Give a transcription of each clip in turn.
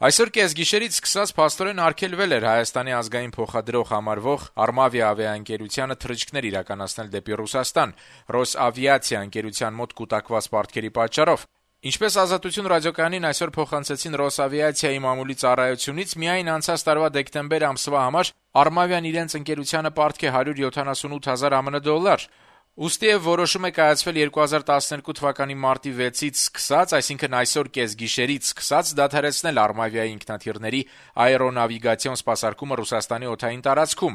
Այսօր կեսգիշերից սկսած փաստորեն արգելվել էր Հայաստանի ազգային փոխադրող համարվող Armavia ավիաընկերությանը թռիչքներ իրականացնել դեպի Ռուսաստան Ռոսավիացիա ընկերության մոտ կուտակված պարտքերի պատճառով։ Ինչպես Ազատություն ռադիոկայանին այսօր փոխանցեցին Ռոսավիացիայի մամուլի ծառայությունից, միայն անցած տարվա դեկտեմբեր ամսվա համար Armavian իրենց ընկերությանը պարտք է $178,000 ԱՄՆ։ Ուստի որոշում է կայացվել 2012 թվականի մարտի 6-ից սկսած, այսինքն այսօր կեսգիշերից սկսած դադարեցնել Armavia-ի ինքնաթիռների աերոնավիգացիոն սպասարկումը Ռուսաստանի օդային տարածքում։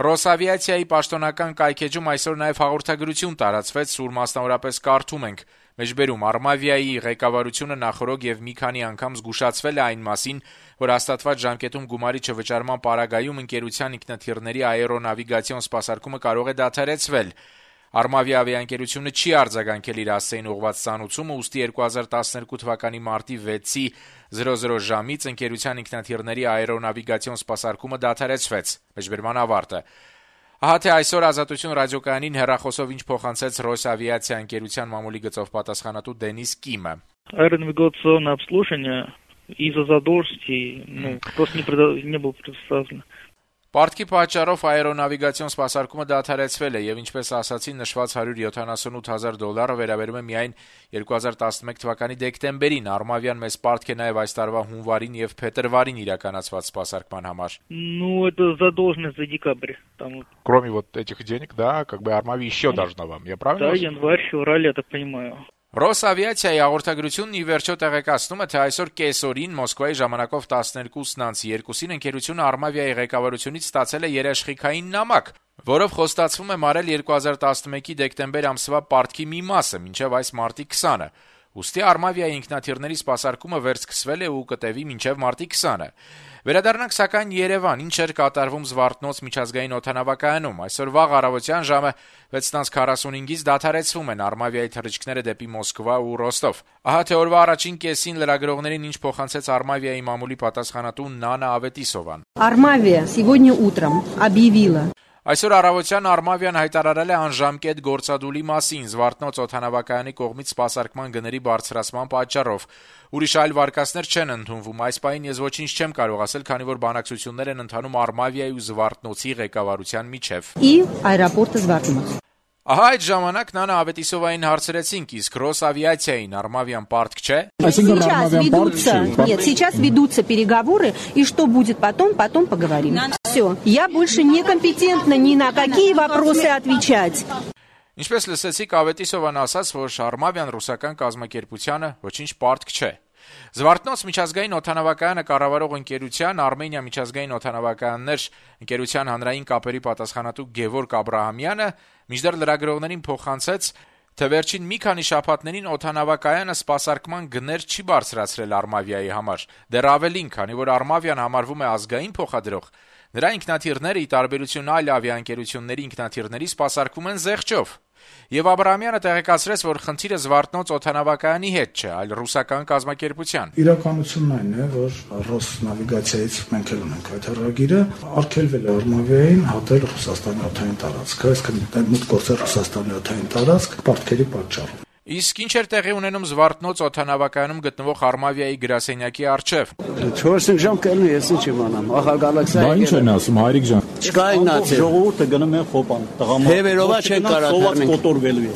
Ռոսավիացիայի պաշտոնական կայքեջում այսօր նաև հաղորդագրություն տարածվեց, ուր մասնավորապես կարդում ենք. Մեջբերում Armavia-ի ղեկավարությունը նախորդ եւ մի քանի անգամ զգուշացվել է այն մասին, որ հաստատված ժամկետում գումարի չվճարման պարագայում ընկերության ինքնաթիռների աերոնավիգացիոն սպասարկումը կարող է դադարեցվել։ Armavia ավիաընկերությունը չի արձագանքել իր հասցեին ուղղված ծանուցումը, ուստի 2012 թվականի մարտի 6-ի 00 ժամից ընկերության ինքնաթիռների աերոնավիգացիոն սպասարկումը դադարեցվեց։ Մեջբերման ավարտը։ Ահա թե այսօր Ազատություն ռադիոկայանին հեռախոսով ինչ փոխանցեց Ռոսավիացիա ընկերության մամուլի գծով պատասխանատու Դենիս Կիմը։ Аэронавигационное обслуживание из-за задолженности, просто не было предоставлено. Պարտքի պատճառով աերոնավիգացիոն սպասարկումը դադարեցվել է եւ ինչպես ասացի, նշված $178,000 վերաբերում է միայն 2011 թվականի դեկտեմբերին։ Armavian մեծ պարտք է նաեւ այս տարվա հունվարին եւ փետրվարին իրականացված սպասարկման համար։ Это задолженность за декабрь. Кроме вот этих денег, да, как бы Armavia еще должна вам, я правильно? Да, январь, февраль, я так понимаю. Ռոսավիացիայի հաղորդագրությունն ի վերջո տեղեկացնում է, թե այսօր կեսօրին Մոսկվայի ժամանակով 12:02-ին ընկերությունը Armavia-ի ղեկավարությունից ստացել է երաշխիքային նամակ, որով խոստացվում է մարել 2011-ի դեկտեմբեր ամսվա պարտքի մի մասը մինչև այս մարտի 20-ը։ Ուստի Armavia-ի ինքնաթիռների սպասարկումը վերսկսվել է ու կտևի մինչև մարտի 20-ը։ Վերադառնանք սակայն Երևան, ինչ էր կատարվում Զվարթնոց միջազգային օդանավակայանում։ Այսօր վաղ առավոտյան ժամը 6:45-ից դադարեցվում են Armavia-ի թռիչքները дեպի Մոսկվա ու Ռոստով։ Ահա թե օրվա առաջին կեսին լրագրողներին ինչ փոխանցեց Armavia-ի մամուլի պատասխանատու Նանա Ավետիսովան։ Armavia сегодня утром объявила. Այսօր առավոտյան Armavia-ն հայտարարել է անժամկետ գործադուլի մասին Զվարթնոց օդանավակայանի կողմից սպասարկման գների բարձրացման պատճառով։ Ուրիշ այլ վարկածներ չեն ընդունվում։ Այս պահին ես ոչինչ չեմ կարող ասել, քանի որ բանակցություններ են ընթանում Armavia-ի ու Զվարթնոցի ղեկավարության միջև։ И аэропорта Զվարթնոց. Ահա այդ ժամանակ Նանա Ավետիսովային հարցրեցինք, իսկ Ռոսավիացիային Armavia-ն պարտք չէ։ Сейчас ведутся переговоры, и что будет потом поговорим. Все. Я больше не компетентна ни на какие вопросы отвечать. Ինչպես լսեցիք, Ավետիսովան ասաց, որ Armavia-ն ռուսական կազմակերպությանը ոչինչ պարտք չէ։ Զվարթնոց միջազգային օդանավակայանը կառավարող ընկերության Արմենիա միջազգային օդանավակայաններ ընկերության հանրային կապերի պատասխանատու Գևորգ Աբրահամյանը մինչդեռ լրագրողներին փոխանցեց, թե վերջին մի քանի շաբաթներին օդանավակայանը սպասարկման գներ չի բարձրացրել Armavia-ի համար։ Դեռ ավելին, քանի որ Armavia-ն համարվում է ազգային փոխադրող, նրա ինքնաթիռները ի տարբերություն այլ ավիաընկերությունների ինքնաթիռների սպասարկվում են զեղչով։ Եվ Աբրահամյանը տեղեկացրեց, որ խնդիրը Զվարթնոց օդանավակայանի հետ չէ, այլ ռուսական կազմակերպության։ Իրականությունն այն է, որ Ռոսնավիգացիայից մենք էլ ունենք այդ հեռագիրը, արգելվել է Armavia-ին հատել Ռուսաստանի օդային տարածքը, այսինքն մուտք գործել Ռուսաստանի օդային տարածք պարտքերի պատճառով։ Իսկ ինչ էր տեղի ունենում Զվարթնոց օդանավակայանում գտնվող Armavia-ի գրասենյակի առջև։ 4 ժամ կելնի, ես ինչ իմանամ, ախագալաքսիա։ Բա ինչ են ասում, հայրիկ ջան։ Չկա իգնացի։ Ժողովուրդը գնում են խոպան, տղամարդ։ Հևերովա չեն կարա թռնենք։ Կոտորվելու է։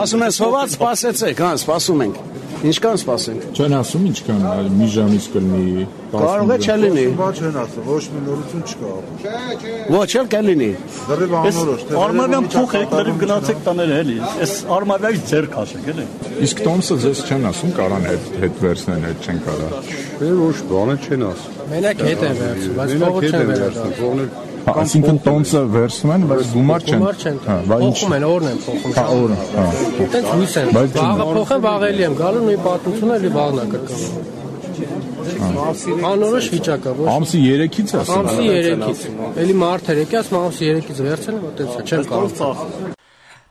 Ասում են սոված սպասեցեք, հա, սպասում ենք։ Ինչքան սպասենք։ Չեն ասում ինչքան, մի ժամից կլինի։ Կարող է չլինի։ Ոչ չեն ասում, ոչ մի նորություն չկա։ Ոչ էլ կլինի։ Դեռ անորոշ թե Armavia-ն փոխ եք, դեռ գնացեք տաները էլի։ Այս Armavia-ից ձեր քաշեք, էլի։ Իսկ Տոմսը ձեզ չեն ասում, կարան հետ վերցնեն, հետ չեն կարա։ ոչ բանը չեն ասում։ Մենակ հետ են վերցնում, բայց փողը չեն վերցնում։ Այսինքն Տոմսը վերցնում են, բայց գումար չեն։ Հա, փոխում են, օրն են փոխում։ Հա, օրը, հա։ Այդպես լույս են։ Վաղը փոխեն, վաղելի եմ գալու, նույն պատմությունը էլի վաղն է կրկնում։ Անորոշ վիճակ է, ոչ։ Ամսի 3-ից ասում։ Ամսի 3-ից։ Էլի մարդ էր եկի, ասում ամսի 3-ից վերցնեմ, այդպես չեմ կարող։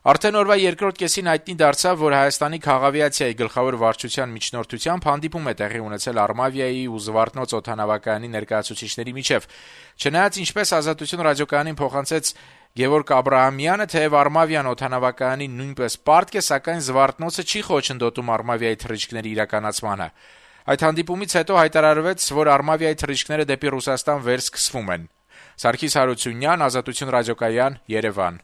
Արդեն օրվա երկրորդ կեսին հայտնի դարձավ, որ Հայաստանի քաղավիացիայի գլխավոր վարչության միջնորդությամբ հանդիպում է տեղի ունեցել Armavia-ի ու Զվարթնոց օդանավակայանի ներկայացուցիչների միջև։ Չնայած ինչպես Ազատություն ռադիոկայանին փոխանցեց Գևորգ Աբրահամյանը, թեև Armavia-ն օդանավակայանին նույնպես պարտք է, սակայն Զվարթնոցը չի խոչընդոտում Armavia-ի թռիչքների իրականացմանը։ Այդ հանդիպումից հետո հայտարարվեց, որ Արմավիայի թռիչքները դեպի Ռուսաստան վերսկսվում են։ Սարգիս Հարությունյան, Ազատություն ռադիոկայան, Երևան։